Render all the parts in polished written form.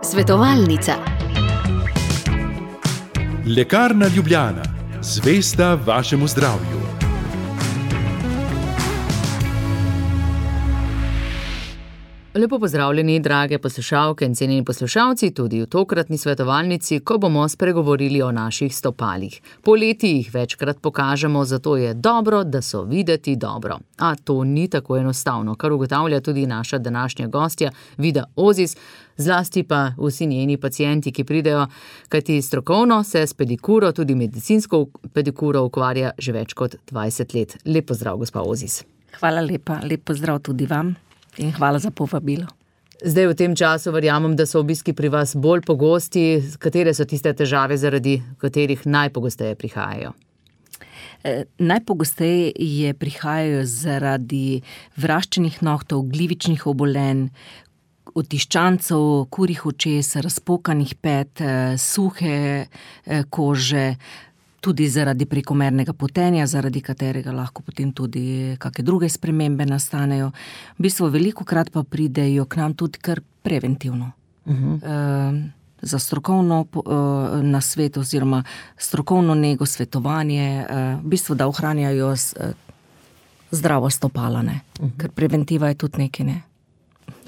Svetovalnica. Lekarna Ljubljana, zvesta vašemu zdravju. Lepo pozdravljeni, drage poslušalke in cenjeni poslušalci, tudi v tokratni svetovalnici, ko bomo spregovorili o naših stopalih. Poleti jih večkrat pokažemo, zato je dobro, da so videti dobro. A to ni tako enostavno, kar ugotavlja tudi naša današnja gostja Vida Ozis, zlasti pa vsi njeni pacienti, ki pridejo, kajti strokovno se s pedikuro, tudi medicinsko pedikuro, ukvarja že več kot 20 let. Lep pozdrav, gospa Ozis. Hvala lepa, lep pozdrav tudi vam. In hvala za povabilo. Zdaj v tem času verjamem, da so obiski pri vas bolj pogosti. Katere so tiste težave, zaradi katerih najpogosteje prihajajo? Najpogosteje prihajajo zaradi vraščenih nohtov, glivičnih obolenj, otiščancev, kurjih očes, razpokanih pet, suhe kože, tudi zaradi prekomernega potenja, zaradi katerega lahko potem tudi kakšne druge spremembe nastanejo. V bistvu velikokrat pa pridejo k nam tudi kar preventivno. Za strokovno nasvet oziroma strokovno nego, svetovanje, v bistvu, da ohranjajo zdravo stopala, ne? Ker preventiva je tudi nekaj, ne?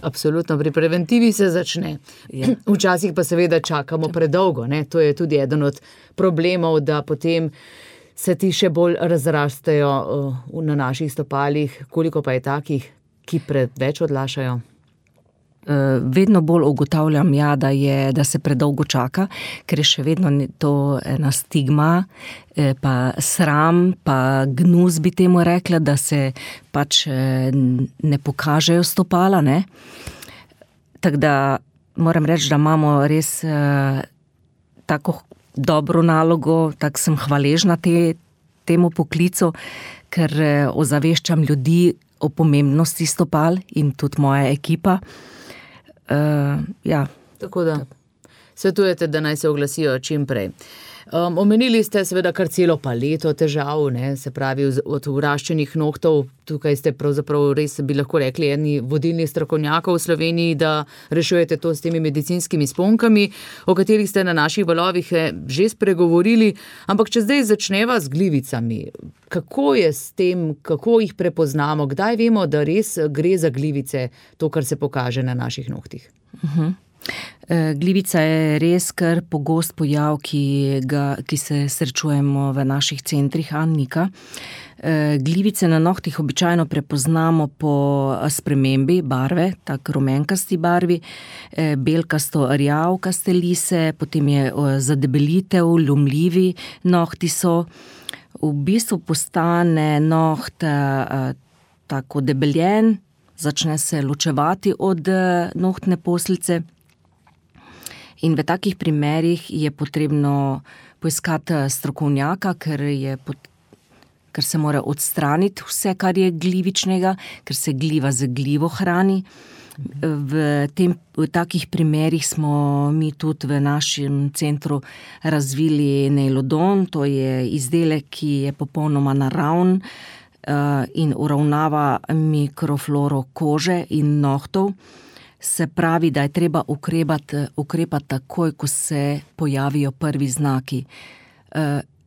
Absolutno, pri preventivi se začne. Ja. Včasih pa seveda čakamo predolgo, ne? To je tudi eden od problemov, da potem se ti še bolj razrastejo na naših stopalih. Koliko pa je takih, ki preveč odlašajo? Vedno bolj ugotavljam, da se predolgo čaka, ker je še vedno to ena stigma, pa sram, pa gnus bi temu rekla, da se pač ne pokažejo stopala, ne. Tako da moram reči, da imamo res tako dobro nalogo, tako sem hvaležna temu poklicu, ker ozaveščam ljudi o pomembnosti stopal in tudi moja ekipa. Ja. Tako da svetujete, da naj se oglasijo čim prej. Omenili ste seveda kar celo paleto težav, ne, se pravi od vraščenih nohtov. Tukaj ste pravzaprav res, bi lahko rekli, eni vodilnih strokovnjakov v Sloveniji, da rešujete to s temi medicinskimi sponkami, o katerih ste na naših valovih že spregovorili. Ampak če zdaj začneva z glivicami, kako je s tem, kako jih prepoznamo, kdaj vemo, da res gre za glivice, to, kar se pokaže na naših nohtih? Glivica je res kar pogost pojav, ki se srečujemo v naših centrih Annika. Glivice na nohtih običajno prepoznamo po spremembi barve, tako rumenkasti barvi, belkasto-rjavkaste lise, potem je zadebelitev, ljumljivi nohti so. V bistvu postane noht tako debeljen, začne se ločevati od nohtne poslice. In v takih primerih je potrebno poiskati strokovnjaka, ker se mora odstraniti vse, kar je glivičnega, ker se gliva z glivo hrani. V takih primerih smo mi tudi v našem centru razvili Neilodon, to je izdelek, ki je popolnoma naraven in uravnava mikrofloro kože in nohtov. Se pravi, da je treba ukrepati takoj, ko se pojavijo prvi znaki.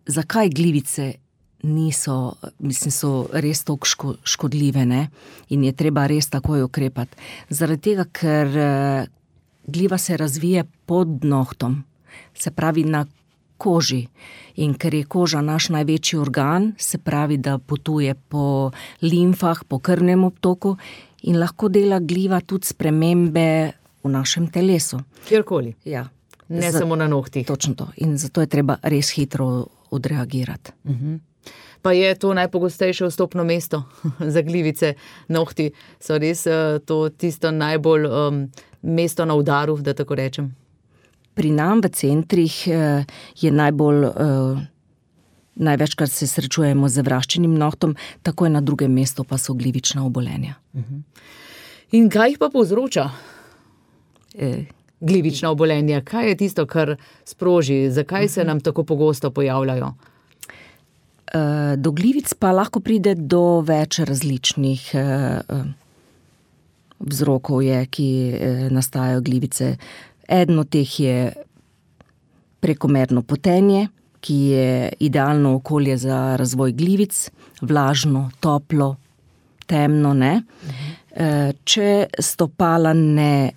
Zakaj glivice so res toliko škodljive, ne? In je treba res takoj ukrepati. Zaradi tega, ker gliva se razvije pod nohtom, se pravi na koži. In ker je koža naš največji organ, se pravi, da potuje po limfah, po krvnem obtoku, in lahko dela gliva tudi spremembe v našem telesu. Kjerkoli? Ja. Ne samo na nohtih. Točno to. In zato je treba res hitro odreagirati. Pa je to najpogostejše vstopno mesto za glivice? Nohti so res to tisto najbolj mesto na udaru, da tako rečem? Pri nam v centrih je največkrat se srečujemo z vraščenim nohtom, takoj na drugem mestu pa so glivična obolenja. In kaj jih pa povzroča? Glivična obolenja, kaj je tisto, kar sproži? Zakaj se nam tako pogosto pojavljajo? Do glivic pa lahko pride do več različnih vzrokov je, ki nastajajo glivice. Eden od teh je prekomerno potenje, ki je idealno okolje za razvoj glivic, vlažno, toplo, temno, ne. Če stopala ne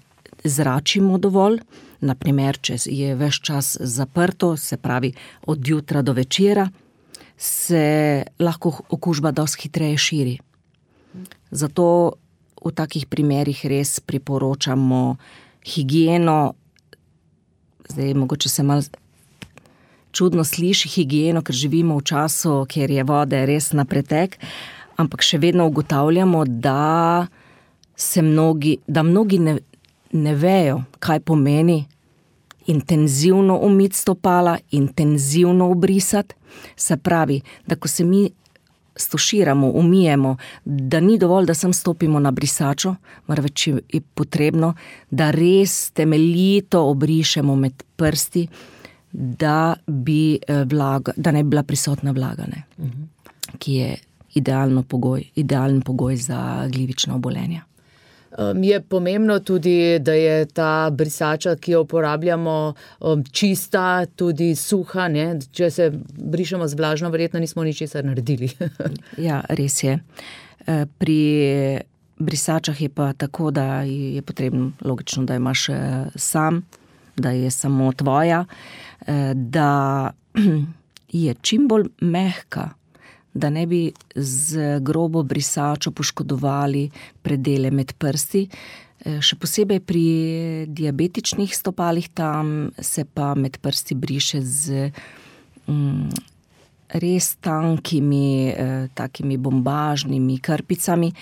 zračimo dovolj, naprimer, če je ves čas zaprto, se pravi od jutra do večera, se lahko okužba dosti hitreje širi. Zato v takih primerih res priporočamo higieno. Zdaj, mogoče se malo čudno sliši higieno, ker živimo v času, kjer je vode res na pretek, ampak še vedno ugotavljamo, da mnogi ne vejo, kaj pomeni intenzivno umiti stopala, intenzivno obrisati. Se pravi, da ko se mi stuširamo, umijemo, da ni dovolj, da sem stopimo na brisačo, marveč je potrebno, da res temeljito obrišemo med prsti, da ne bi bila prisotna vlaga, ne? Ki je idealen pogoj za glivična obolenja. Je pomembno tudi, da je ta brisača, ki jo uporabljamo, čista, tudi suha, ne? Če se brišemo z vlažno, verjetno nismo ničesar naredili. Ja, res je. Pri brisačah je pa tako, da je potrebno, logično, da imaš sam, da je samo tvoja, da je čim bolj mehka, da ne bi z grobo brisačo poškodovali predele med prsti. Še posebej pri diabetičnih stopalih, tam se pa med prsti briše z res tankimi, takimi bombažnimi krpicami,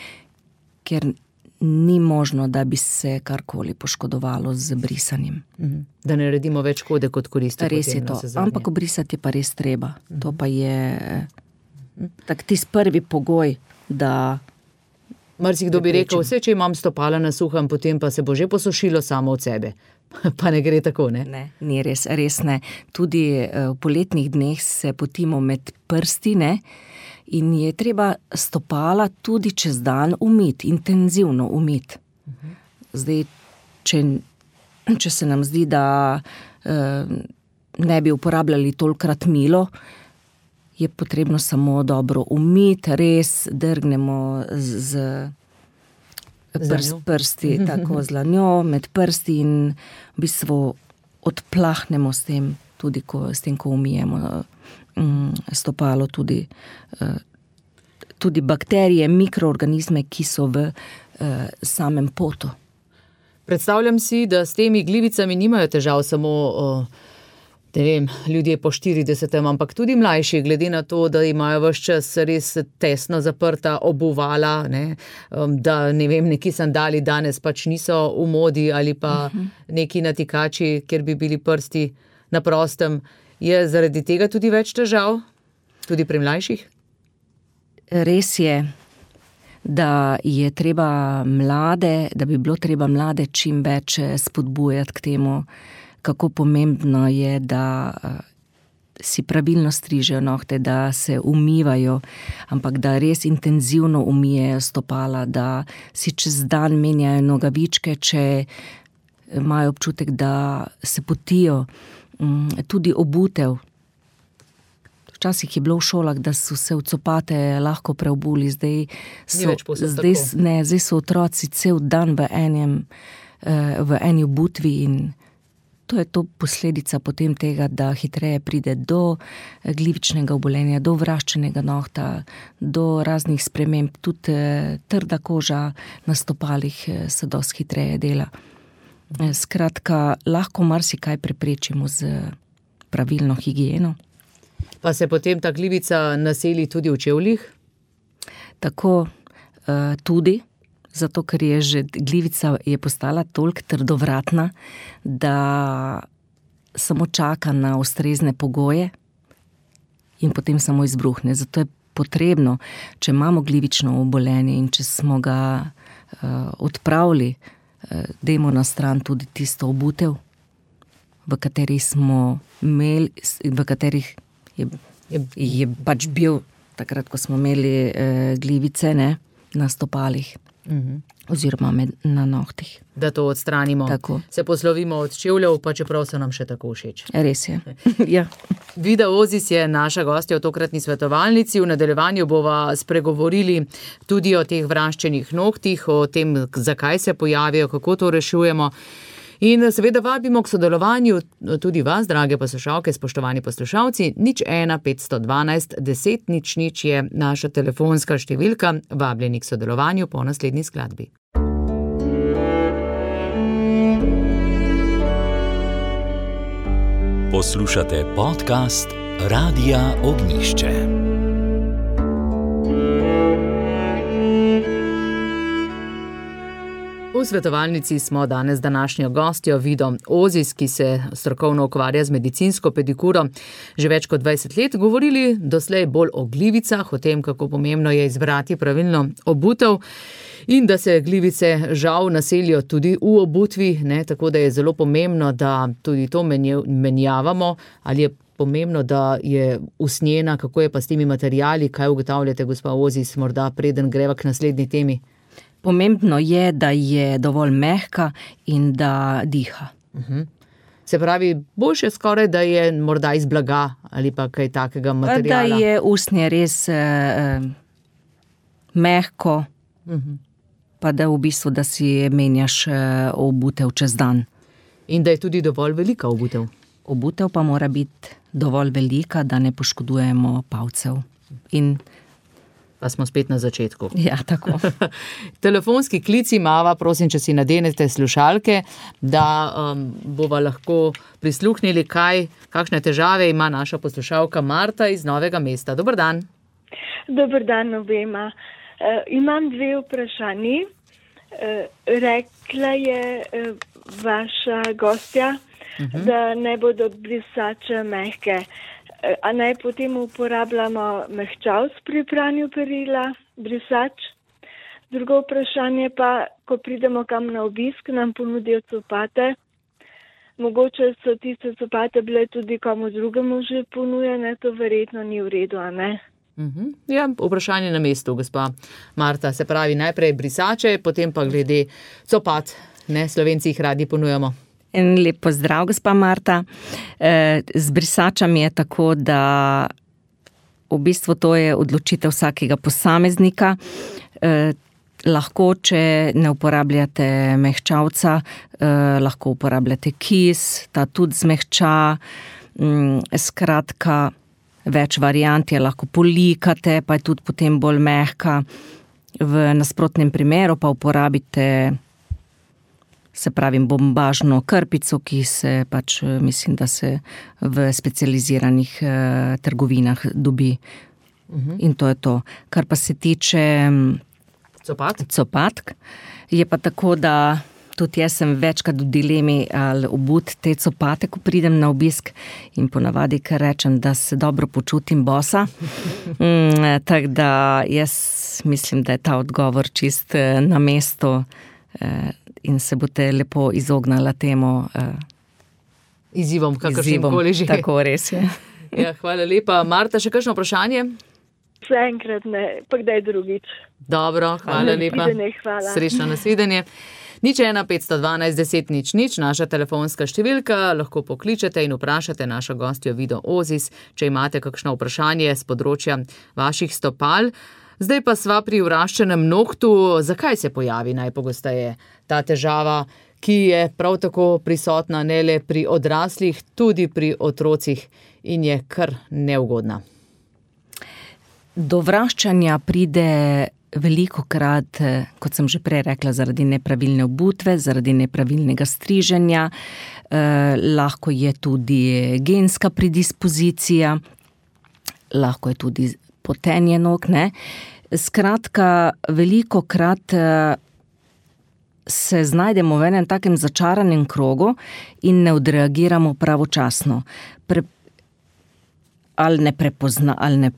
ker ni možno, da bi se karkoli poškodovalo z brisanjem. Da ne naredimo več škode kot koristi. Res je to, ampak obrisati je pa res treba. To pa je tak tisti prvi pogoj, da... Marsikdo bi rekel, vse, če imam stopala na suhem, potem pa se bo že posušilo samo od sebe. Pa ne gre tako, ne? Ne, ni res ne. Tudi v poletnih dneh se potimo med prsti, ne? In je treba stopala tudi čez dan umiti, intenzivno umiti. Zdaj, če se nam zdi, da ne bi uporabljali tolikrat milo, je potrebno samo dobro umiti, res drgnemo z prsti, tako z dlanjo med prsti in v bistvu odplahnemo s tem, tudi s tem, ko umijemo stopalo, tudi bakterije, mikroorganizme, ki so v samem potu. Predstavljam si, da s temi glivicami nimajo težav samo ljudje po 40, ampak tudi mlajši, glede na to, da imajo ves čas res tesno zaprta obuvala, ne? Da neki sandali danes pač niso v modi ali pa neki natikači, kjer bi bili prsti na prostem. Je zaradi tega tudi več težav? Tudi pri mlajših? Res je, da je treba da bi bilo treba mlade čim več spodbujati k temu, kako pomembno je, da si pravilno strižejo nohte, da se umivajo, ampak da res intenzivno umijejo stopala, da si čez dan menjajo nogavičke, če imajo občutek, da se potijo, tudi obutev. Včasih je bilo v šolah, da so se v copate lahko preobuli, zdaj so otroci cel dan v eni obutvi in to je to posledica potem tega, da hitreje pride do glivičnega obolenja, do vraščenega nohta, do raznih sprememb, tudi trda koža na stopalih se dosti hitreje dela. Skratka, lahko marsikaj preprečimo z pravilno higieno. Pa se potem ta glivica naseli tudi v čevljih? Tako, tudi. Zato, ker glivica je postala toliko trdovratna, da samo čaka na ustrezne pogoje in potem samo izbruhne. Zato je potrebno, če imamo glivično obolenje in če smo ga odpravili, dajmo na stran tudi tisto obutev, v katerih je pač bil takrat, ko smo imeli glivice, ne, na stopalih. oziroma na nohtih. Da to odstranimo. Tako. Se poslovimo od čevljev, pa čeprav so nam še tako všeč. Res je. Ja. Vida Ozis je naša gostja v tokratni svetovalnici. V nadaljevanju bova spregovorili tudi o teh vraščenih nohtih, o tem, zakaj se pojavijo, kako to rešujemo. In seveda vabimo k sodelovanju tudi vas, drage poslušalke, spoštovani poslušalci. 01 512 10 00 je naša telefonska številka. Vabljeni k sodelovanju po naslednji skladbi. Poslušate podcast Radia Ognjišče. V svetovalnici smo danes današnjo gostjo Vido Ozis, ki se strokovno ukvarja z medicinsko pedikuro že več kot 20 let, govorili doslej bolj o glivicah, o tem, kako pomembno je izbrati pravilno obutev in da se glivice žal naselijo tudi v obutvi, ne, tako da je zelo pomembno, da tudi to menjavamo, ali je pomembno, da je usnjena, kako je pa s temi materiali, kaj ugotavljate, gospa Ozis, morda preden greva k naslednji temi? Pomembno je, da je dovolj mehka in da diha. Se pravi, boljše skoraj, da je morda iz blaga ali pa kaj takega materiala. Da je usnje res mehko, pa da v bistvu, da si menjaš obutev čez dan. In da je tudi dovolj velika obutev. Obutev pa mora biti dovolj velika, da ne poškodujemo palcev. Pa smo spet na začetku. Ja, tako. Telefonski klic imava, prosim, če si nadenete slušalke, da bova lahko prisluhnili, kakšne težave ima naša poslušalka Marta iz Novega mesta. Dober dan. Dober dan obema. Imam 2 vprašanji. Rekla je vaša gostja, da ne bodo brisače mehke. A naj potem uporabljamo mehčavc pri pranju perila, brisač? Drugo vprašanje pa, ko pridemo kam na obisk, nam ponudijo copate. Mogoče so tiste copate bile tudi komu drugemu že ponujene, to verjetno ni v redu, a ne? Ja, vprašanje na mestu, gospa Marta. Se pravi, najprej brisače, potem pa glede copat. Ne, Slovenci jih radi ponujamo. En lep pozdrav, gospa Marta. Z brisačami je tako, da v bistvu to je odločitev vsakega posameznika. Lahko, če ne uporabljate mehčavca, lahko uporabljate kis, ta tudi zmehča. Skratka, več variant je, lahko polikate, pa je tudi potem bolj mehka. V nasprotnem primeru pa uporabite, se pravi, bombažno krpico, ki se pač, mislim, da se v specializiranih trgovinah dobi. In to je to. Kar pa se tiče copatk, je pa tako, da tudi jaz sem večkrat v dilemi, ali obut te copate, ko pridem na obisk, in ponavadi, ker rečem, da se dobro počutim bosa. Tako da jaz mislim, da je ta odgovor čist na mestu, in se boste lepo izognala temu izzivom, kakršnim koli že. Tako res je. Ja, hvala lepa. Marta, še kakšno vprašanje? Zaenkrat ne, pa kdaj drugič. Dobro, hvala lepa. Hvala. Srečno nasvidenje. 01 512 10 00, naša telefonska številka, lahko pokličete in vprašate našo gostjo Vido Ozis, če imate kakšno vprašanje z področja vaših stopal. Zdaj pa sva pri vraščenem nohtu. Zakaj se pojavi najpogosteje ta težava, ki je prav tako prisotna ne le pri odraslih, tudi pri otrocih in je kar neugodna? Do vraščanja pride velikokrat, kot sem že prej rekla, zaradi nepravilne obutve, zaradi nepravilnega striženja, lahko je tudi genska predispozicija, lahko je tudi potenje nog, ne. Skratka, velikokrat se znajdemo v enem takem začaranem krogu in ne odreagiramo pravočasno. Ali ne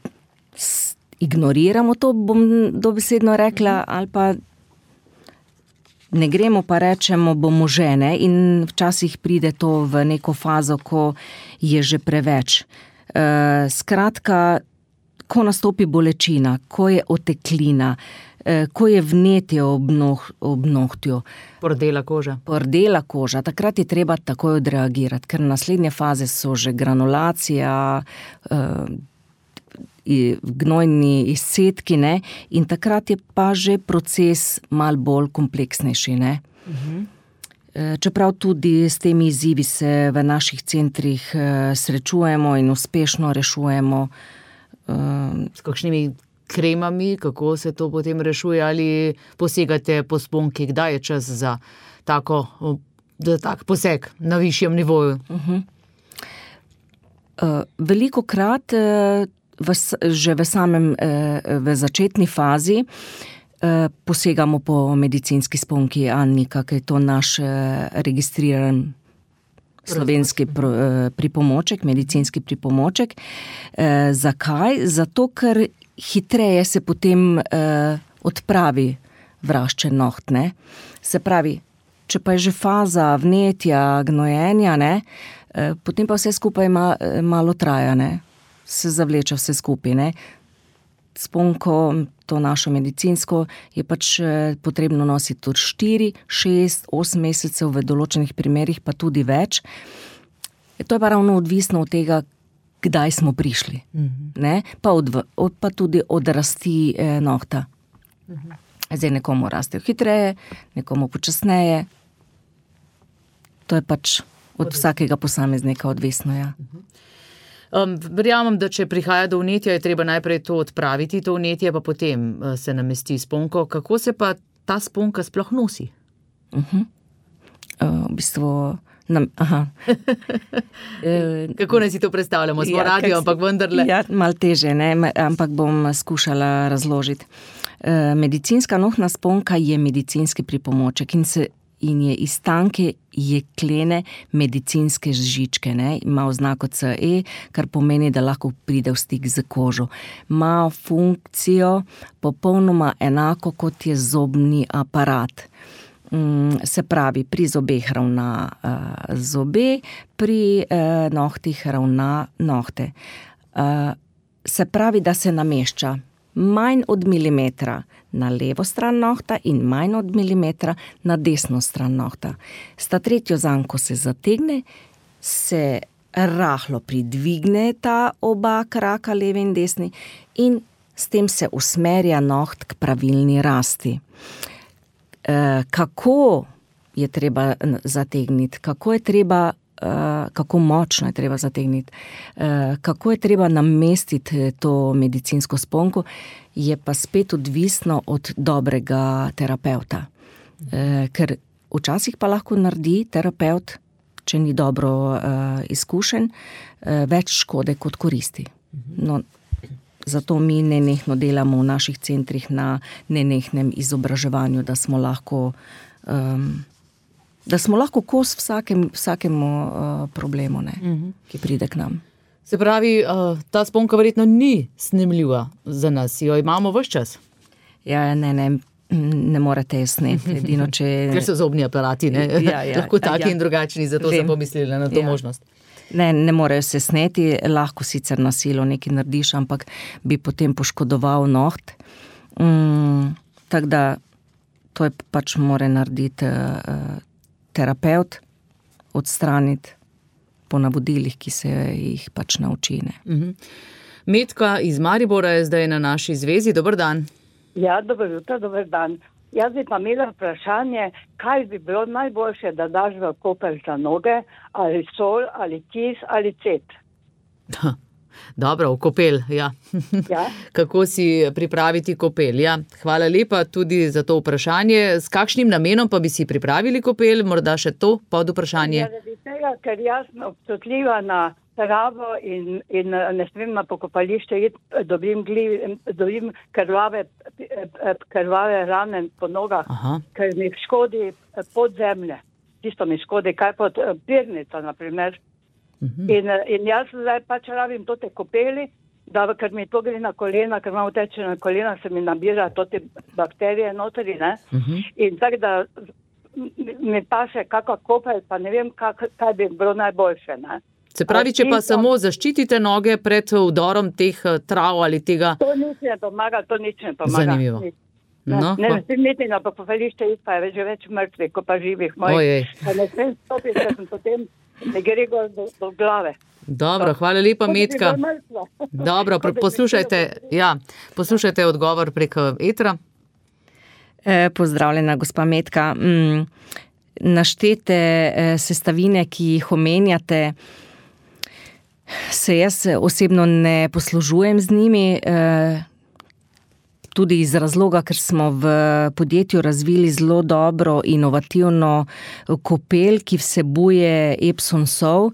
ignoriramo, to bom dobesedno rekla, ali pa ne gremo, pa rečemo, bomo žene, in včasih pride to v neko fazo, ko je že preveč. Skratka, ko nastopi bolečina, ko je oteklina, ko je vnetje ob nohtju. Pordela koža. Takrat je treba takoj odreagirati, ker naslednje faze so že granulacija, gnojni izcedki, ne? In takrat je pa že proces malo bolj kompleksnejši, ne? Čeprav tudi s temi izzivi se v naših centrih srečujemo in uspešno rešujemo. S kakšnimi kremami, kako se to potem rešuje, ali posegate po sponki, kdaj je čas za tak poseg na višjem nivoju? Velikokrat že v začetni fazi posegamo po medicinski sponki Annika, ker je to naš registriran slovenski pripomoček, medicinski pripomoček. Zakaj? Zato, ker hitreje se potem odpravi vraščen noht, ne? Se pravi, če pa je že faza vnetja, gnojenja, ne? Potem pa vse skupaj malo traja, ne? Se zavleče vse skupaj, ne? Sponko, to našo medicinsko, je pač potrebno nositi od 4, 6, 8 mesecev, v določenih primerih pa tudi več. To je pa ravno odvisno od tega, kdaj smo prišli, ne? Pa tudi od rasti nohta. Zdaj nekomu rastejo hitreje, nekomu počasneje. To je pač od vsakega posameznika odvisno, ja. Verjamem, da če prihaja do vnetja, je treba najprej to odpraviti, to vnetje, pa potem se namesti sponko. Kako se pa ta sponka sploh nosi? V bistvu... Kako naj si to predstavljamo? Smo radio, ampak vendarle. Ja, malo teže, ne? Ampak bom skušala razložiti. Medicinska nohna sponka je medicinski pripomoček in je iz tanke jeklene medicinske žičke, ne? Ima oznako CE, kar pomeni, da lahko pride v stik z kožo. Ima funkcijo popolnoma enako, kot je zobni aparat. Se pravi, pri zobeh ravna zobe, pri nohtih ravna nohte. Se pravi, da se namešča manj od milimetra na levo stran nohta in manj od milimetra na desno stran nohta. Sta tretjo zanko se zategne, se rahlo pridvigne ta oba kraka, levi in desni, in s tem se usmerja noht k pravilni rasti. Kako je treba zategniti, kako močno je treba zategniti, kako je treba namestiti to medicinsko sponko, je pa spet odvisno od dobrega terapevta. Ker včasih pa lahko naredi terapevt, če ni dobro izkušen, več škode kot koristi. No, zato mi nenehno delamo v naših centrih na nenehnem izobraževanju, da smo lahko kos vsakemu problemu, ne, ki pride k nam. Se pravi, ta sponka verjetno ni snemljiva za nas, jo imamo ves čas? Ja, ne morete jo sneti, edino če... Ker so zobni aparati, ne? Lahko taki in drugačni, zato sem pomislila na to možnost. Ne morejo se sneti, lahko sicer na silo nekaj narediš, ampak bi potem poškodoval noht. Tako da to je pač mora narediti terapevt, odstraniti po navodilih, ki se jih pač naučine. Metka iz Maribora je zdaj na naši zvezi. Dober dan. Ja, dobro jutro, dober dan. Jaz bi pa imela vprašanje, kaj bi bilo najboljše, da daš v kopel za noge, ali sol, ali kis, ali cet. Dobro, v kopel, ja. Ja. Kako si pripraviti kopel, ja. Hvala lepa tudi za to vprašanje. S kakšnim namenom pa bi si pripravili kopel? Morda še to pod vprašanje? Zaradi tega, ker jaz sem občutljiva na travo in ne smem na pokopališče iti, dobim krvave rane po nogah, ker mi škodi pod zemlje. Tisto mi škodi, kaj pod pirnica, na primer. In jaz zdaj pač rabim tote kopeli, ker mi to gre na kolena, ker imam teče na kolena, se mi nabira tote bakterije notri, ne? In tako da mi paše kakva kopel, pa ne vem, kaj bi bilo najboljše, ne? Se pravi, če pa samo zaščitite noge pred vdorom teh trav ali tega... To nič ne pomaga. Zanimivo. No, ne vem niti na pokopališče iti, pa je že več mrtvih, kot pa živih mojih. Pa ne smem stopiti, ker sem potem ne gre do glave. Dobro, hvala lepa, Metka. Dobro, poslušajte odgovor preko etra. Pozdravljena, gospa Metka. Naštete sestavine, ki jih omenjate, se jaz osebno ne poslužujem z njimi, tudi iz razloga, ker smo v podjetju razvili zelo dobro inovativno kopel, ki vsebuje Epsom sol.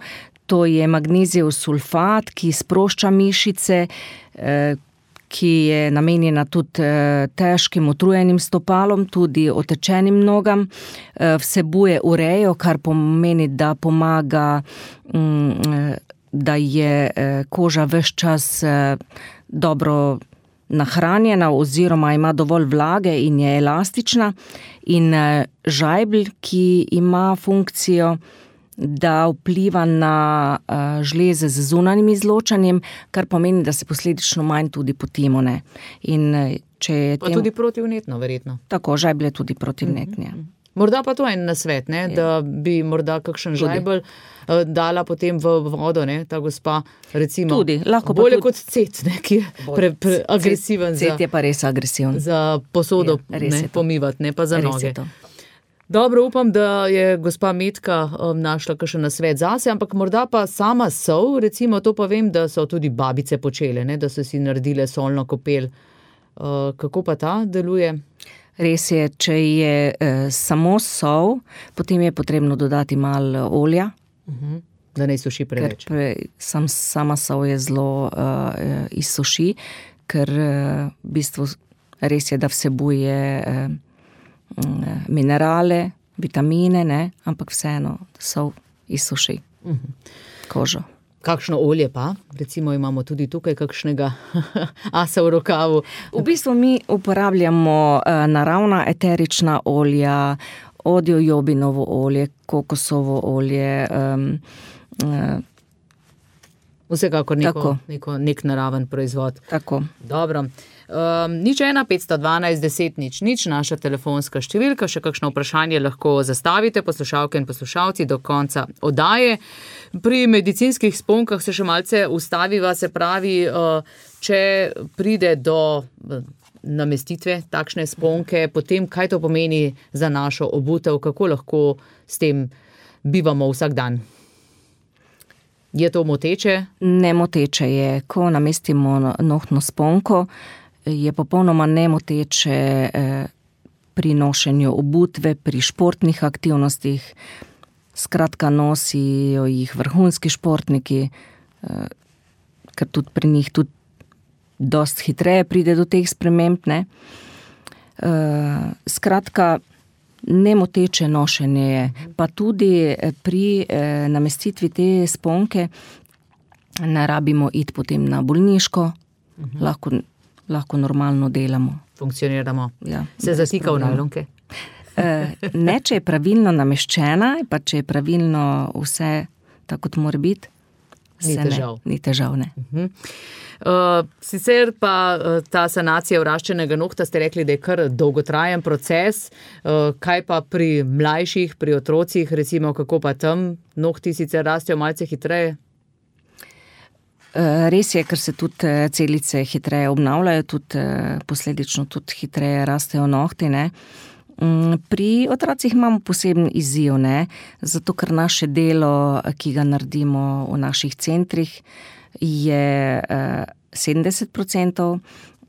To je magnezijev sulfat, ki sprošča mišice, ki je namenjena tudi težkim utrujenim stopalom, tudi otečenim nogam. Vsebuje urejo, kar pomeni, da pomaga, da je koža ves čas dobro nahranjena oziroma ima dovolj vlage in je elastična. In žajbelj, ki ima funkcijo, da vpliva na žleze z zunanjim izločanjem, kar pomeni, da se posledično manj tudi potimo. In če pa tudi protivnetno, verjetno. Tako, žajbelj je tudi protivnetni. Morda pa to en nasvet, da bi morda kakšen žajbelj dala potem v vodo, ta gospa, recimo, tudi, bolje kot cet, ki je agresiven. Cet je pa res agresiven. Za posodo pomivati, ne pa za noge. Dobro, upam, da je gospa Metka našla kakšen nasvet zase, ampak morda pa sama sol, recimo, to pa vem, da so tudi babice počele, da so si naredile solno kopel. Kako pa ta deluje? Res je, če je samo sol, potem je potrebno dodati malo olja. Da ne suši preveč. Ker sama sol je zelo izsuši, ker v bistvu res je, da vsebuje minerale, vitamine, ampak vseeno sol izsuši kožo. Kakšno olje pa? Recimo imamo tudi tukaj kakšnega asa v rokavu. V bistvu mi uporabljamo naravna eterična olja, jojobinovo olje, kokosovo olje. Vsekakor nek naraven proizvod. Tako. Dobro. 015121000, naša telefonska številka, še kakšno vprašanje lahko zastavite, poslušalke in poslušalci do konca oddaje. Pri medicinskih sponkah se še malce ustaviva, se pravi, če pride do namestitve takšne sponke, potem kaj to pomeni za našo obutev, kako lahko s tem bivamo vsak dan? Je to moteče? Nemoteče je, ko namestimo nohtno sponko, je popolnoma nemoteče pri nošenju obutve, pri športnih aktivnostih. Skratka, nosijo jih vrhunski športniki, ker tudi pri njih tudi dost hitreje pride do teh sprememb. Skratka, nemoteče nošenje je. Pa tudi pri namestitvi te sponke ne rabimo iti potem na bolniško, lahko normalno delamo. Funkcioniramo. Ja, se zatika v najlonke? Ne, če je pravilno nameščena, pa če je pravilno vse tako, kot mora biti, ni težav. Sicer pa ta sanacija vraščenega nohta, ste rekli, da je kar dolgotrajen proces. Kaj pa pri mlajših, pri otrocih, recimo, kako pa tam nohti sicer rastejo malce hitreje? Res je, ker se tudi celice hitreje obnavljajo, tudi posledično tudi hitreje rastejo nohti. Pri otrocih imamo poseben izziv, zato ker naše delo, ki ga naredimo v naših centrih, je 70%,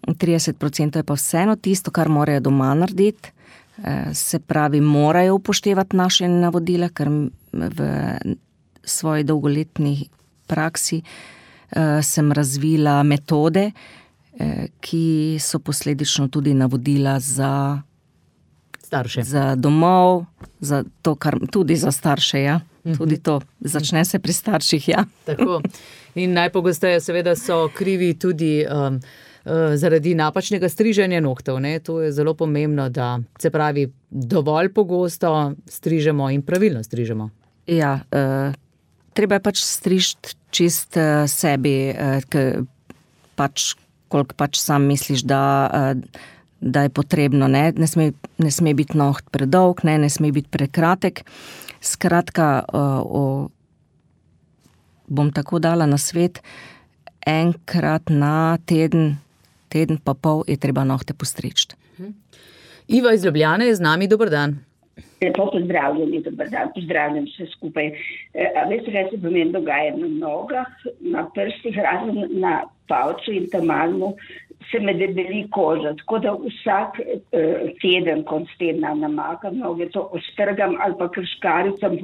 30% je pa vseeno tisto, kar morajo doma narediti. Se pravi, morajo upoštevati naše navodila, ker v svoji dolgoletni praksi sem razvila metode, ki so posledično tudi navodila za starše. Za domov, za to, tudi za starše, ja. Tudi to. Začne se pri starših, ja. Tako. In najpogosteje seveda so krivi tudi zaradi napačnega striženja nohtov. To je zelo pomembno, da se pravi dovolj pogosto strižemo in pravilno strižemo. Ja, treba je pač strižiti čist sebi, koliko pač sam misliš, da je potrebno, ne sme biti noht predolg, ne sme biti prekratek. Skratka, bom tako dala na svet, enkrat na teden pa pol je treba nohte postriči. Iva iz Ljubljane je z nami, dober dan. Lepo pozdravljeni, dober dan, pozdravljam vse skupaj. Veste, kaj se pomeni dogaja na nogah, na prstih, razen na palcu in tamalmu, se me debeli koža, tako da vsak teden, konc tedna namakam noge, to ostrgam ali pa krškaricam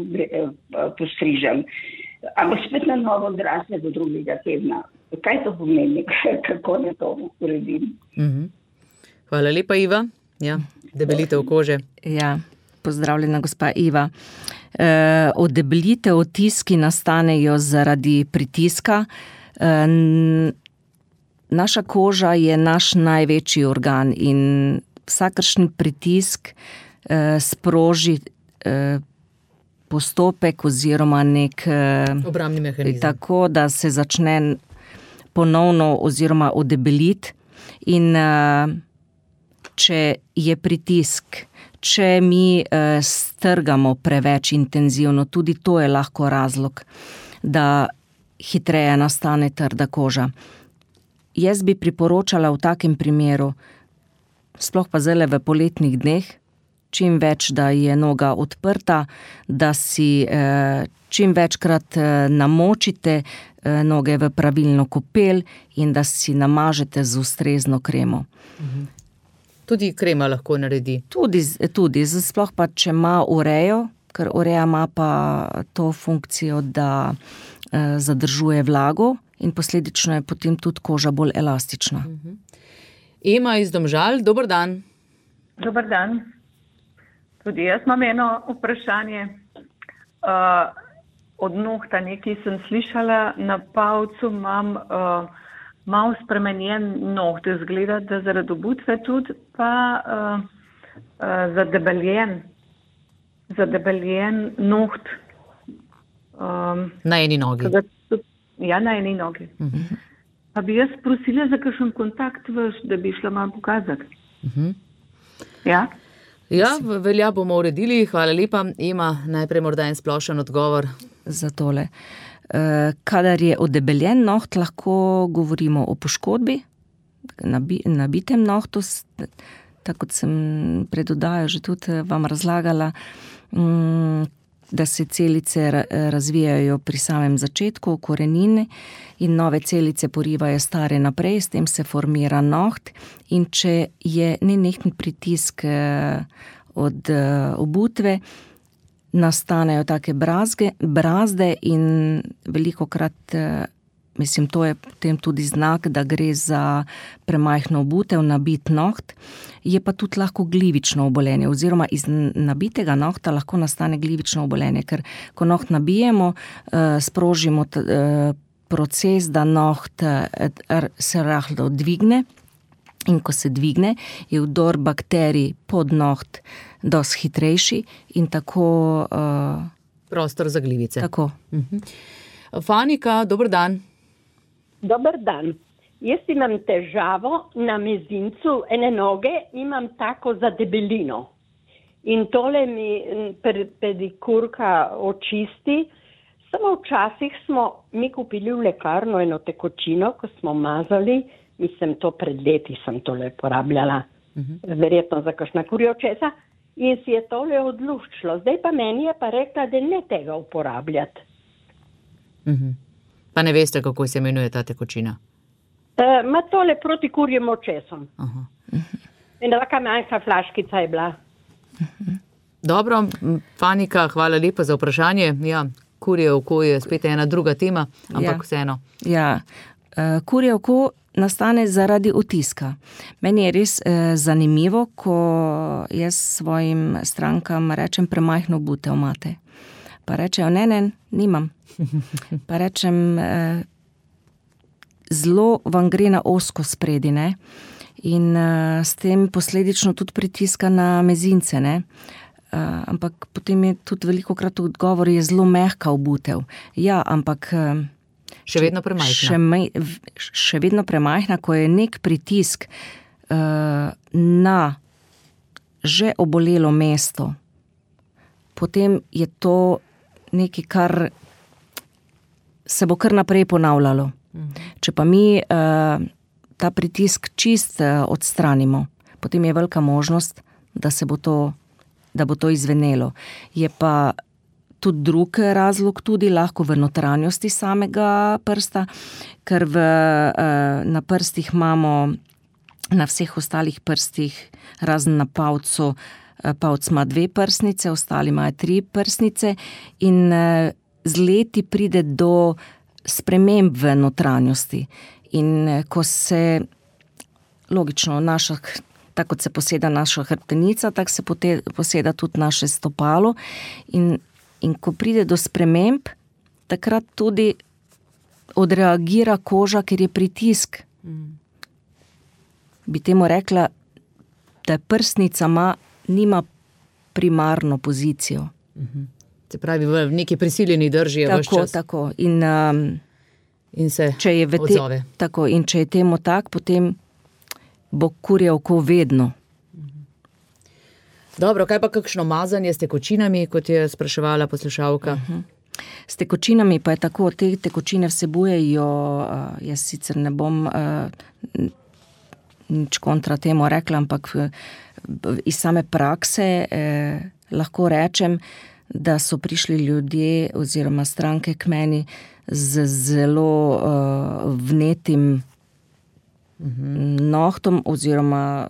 postrižem. Ampak spet na novo odrasle do drugega tedna. Kaj to pomeni, kako ne to uredim? Hvala lepa, Iva. Ja, debelitev kože. Ja, pozdravljena gospa Iva. Odebelitev otiski nastanejo zaradi pritiska. Naša koža je naš največji organ in vsakršen pritisk sproži postopek oziroma nek obrambni mehanizem. Tako, da se začne ponovno oziroma odebeliti in če je pritisk, če mi strgamo preveč intenzivno, tudi to je lahko razlog, da hitreje nastane trda koža. Jaz bi priporočala v takem primeru, sploh pa zdaj v poletnih dneh, čim več, da je noga odprta, da si čim večkrat namočite noge v pravilno kopel in da si namažete z ustrezno kremo. Tudi krema lahko naredi. Tudi, sploh pa, če ima urejo, ker ureja ima pa to funkcijo, da zadržuje vlago in posledično je potem tudi koža bolj elastična. Ema iz Domžal, dober dan. Dober dan. Tudi jaz imam eno vprašanje. Od nohta nekaj sem slišala, na palcu imam malo spremenjen noht, izgleda, da zaradi obutve tudi, pa zadebeljen noht. Na eni nogi. Ja, na eni nogi. Pa bi jaz prosila za kakšen kontakt vaš, da bi šla malo pokazati. Ja? Ja, velja bomo uredili, hvala lepa. Ema, najprej morda en splošen odgovor. Za tole. Kadar je odebeljen noht, lahko govorimo o poškodbi, nabitem nohtu, tako kot sem pred oddajo že tudi vam razlagala, da se celice razvijajo pri samem začetku, korenine in nove celice porivajo stare naprej, s tem se formira noht in če je nenehten pritisk od obutve, nastanejo take brazde in velikokrat, to je potem tudi znak, da gre za premajhno obutev, nabit noht, je pa tudi lahko glivično obolenje, oziroma iz nabitega nohta lahko nastane glivično obolenje, ker ko noht nabijemo, sprožimo proces, da noht se rahlo dvigne in ko se dvigne, je vdor bakterij pod noht dosti hitrejši in tako... Prostor za glivice. Tako. Fanika, dober dan. Dober dan. Jaz imam težavo na mezincu ene noge, imam tako zadebelino. In tole mi pedikurka očisti. Samo včasih smo mi kupili v lekarno eno tekočino, ko smo mazali, mislim, to pred leti sem tole porabljala, verjetno za kakšna kurjočesa, in si je tole odluščilo. Zdaj pa meni je pa rekla, da ne tega uporabljati. Pa ne veste, kako se imenuje ta tekočina? Ma tole proti kurjem očesom. In taka manjka flaškica je bila. Dobro, Fanika, hvala lepa za vprašanje. Ja, kurje oko je spet ena druga tema, ampak vseeno. Ja, kurje oko nastane zaradi otiska. Meni je res zanimivo, ko jaz svojim strankam rečem, premajhno obutev imate. Pa rečejo, ne, nimam. Pa rečem, zelo vam gre na ozko spredi, ne? In s tem posledično tudi pritiska na mezince, ne? Ampak potem je tudi velikokrat odgovor, je zelo mehka obutev. Ja, ampak... Še vedno premajhna. Še vedno premajhna, ko je nek pritisk na že obolelo mesto, potem je to nekaj, kar se bo kar naprej ponavljalo. Če pa mi ta pritisk čist odstranimo, potem je velika možnost, da bo to izvenelo. Je pa tudi drug razlog tudi lahko v notranjosti samega prsta, ker na prstih imamo, na vseh ostalih prstih, razen na pavcu, pavc ima 2 prsnice, ostali imajo 3 prsnice in z leti pride do sprememb v notranjosti. In ko se, logično, tako kot se poseda naša hrbtenica, tako se poseda tudi naše stopalo in ko pride do sprememb, takrat tudi odreagira koža, ker je pritisk. Bi temu rekla, da prsnica nima primarno pozicijo. Se pravi, v neki prisiljeni drži je ves čas. Tako. In se odzove. Tako, in če je temu tak, potem bo kurje oko vedno. Dobro, kaj pa kakšno mazanje s tekočinami, kot je spraševala poslušalka? S tekočinami pa je tako, te tekočine vsebujejo, jaz sicer ne bom nič kontra temu rekla, ampak iz same prakse lahko rečem, da so prišli ljudje oziroma stranke k meni z zelo vnetim nohtom oziroma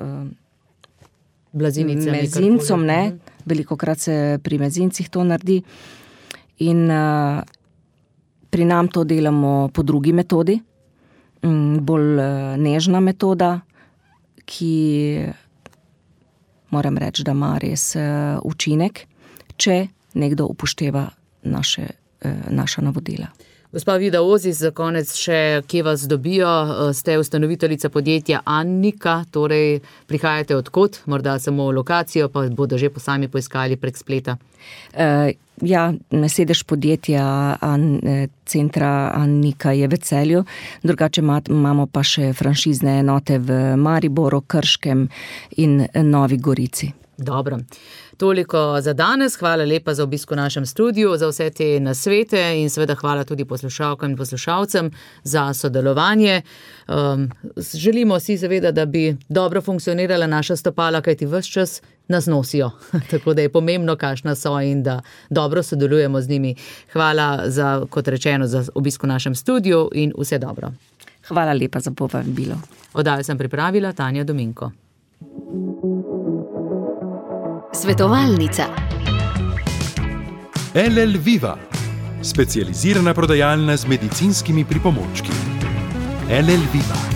mezincom, ne. Velikokrat se pri mezincih to naredi. In pri nam to delamo po drugi metodi, bolj nežna metoda, ki moram reči, da ima res učinek, če nekdo upošteva naša navodila. Gospa Vida Ozis, za konec še, kje vas dobijo? Ste ustanoviteljica podjetja Annika, torej prihajate odkot? Morda samo lokacijo, pa bodo že sami poiskali prek spleta. Ja, sedež podjetja centra Annika je v Celju, drugače imamo pa še franšizne enote v Mariboru, Krškem in Novi Gorici. Dobro. Toliko za danes. Hvala lepa za obisk v našem studiu, za vse te nasvete in seveda hvala tudi poslušalkam in poslušalcem za sodelovanje. Želimo si seveda, da bi dobro funkcionirala naša stopala, kajti ves čas nas nosijo. Tako da je pomembno, kakšna so in da dobro sodelujemo z njimi. Hvala za, kot rečeno, za obisk v našem studiu in vse dobro. Hvala lepa za povabilo. Oddajo sem pripravila Tanja Dominko. Svetovalnica. LL Viva, specializirana prodajalna z medicinskimi pripomočki. LL Viva.